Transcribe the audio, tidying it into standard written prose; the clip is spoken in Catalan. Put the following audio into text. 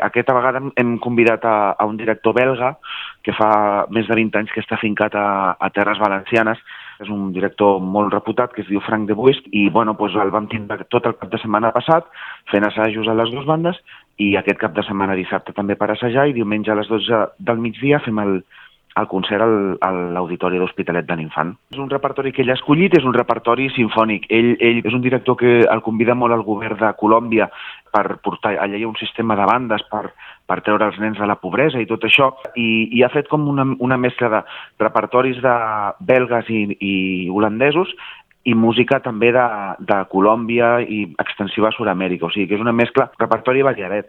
Aquesta vegada hem convidat a un director belga que fa més de 20 anys que està fincat a Terres Valencianes. És un director molt reputat que es diu Frank de Buist i el vam tindre tot el cap de setmana passat fent assajos a les dues bandes i aquest cap de setmana dissabte també per assajar i diumenge a les 12 del migdia fem el concert a l'Auditori de l'Hospitalet de l'Infant. És un repertori que ell ha escollit, és un repertori sinfònic. Ell és un director que el convida molt al govern de Colòmbia per portar allà un sistema de bandes per treure els nens de la pobresa i tot això, i ha fet com una mescla de repertoris de belgues i holandesos i música també de Colòmbia i extensiva a Sud-amèrica. O sigui que és una mescla, repertori variadet.